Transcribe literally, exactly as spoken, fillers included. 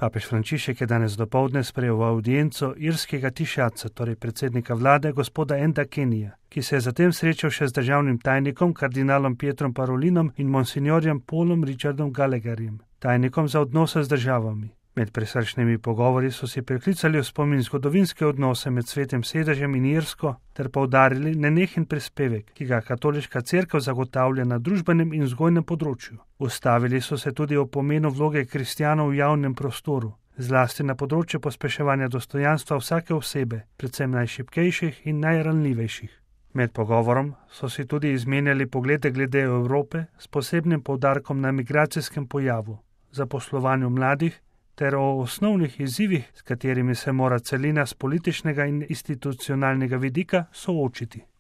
Papež Frančišek je danes dopoldne sprejel v avdienco irskega tišaca, torej predsednika vlade, gospoda Enda Kenija, ki se je zatem srečal še z državnim tajnikom, kardinalom Pietrom Parolinom in monsignorjem Paulom Richardom Gallagherjem, tajnikom za odnose z državami. Med prisrčnimi pogovori so si priklicali v spomin zgodovinske odnose med Svetim sedežem in Irsko ter poudarili nenehen prispevek, ki ga katoliška cerkev zagotavlja na družbenem in vzgojnem področju. Ustavili so se tudi o pomenu vloge kristjanov v javnem prostoru, zlasti na področju pospeševanja dostojanstva vsake osebe, predvsem najšibkejših in najranljivejših. Med pogovorom so si tudi izmenjali poglede glede Evrope s posebnim poudarkom na migracijskem pojavu, zaposlovanju mladih ter o osnovnih izzivih, s katerimi se mora celina z političnega in institucionalnega vidika soočiti.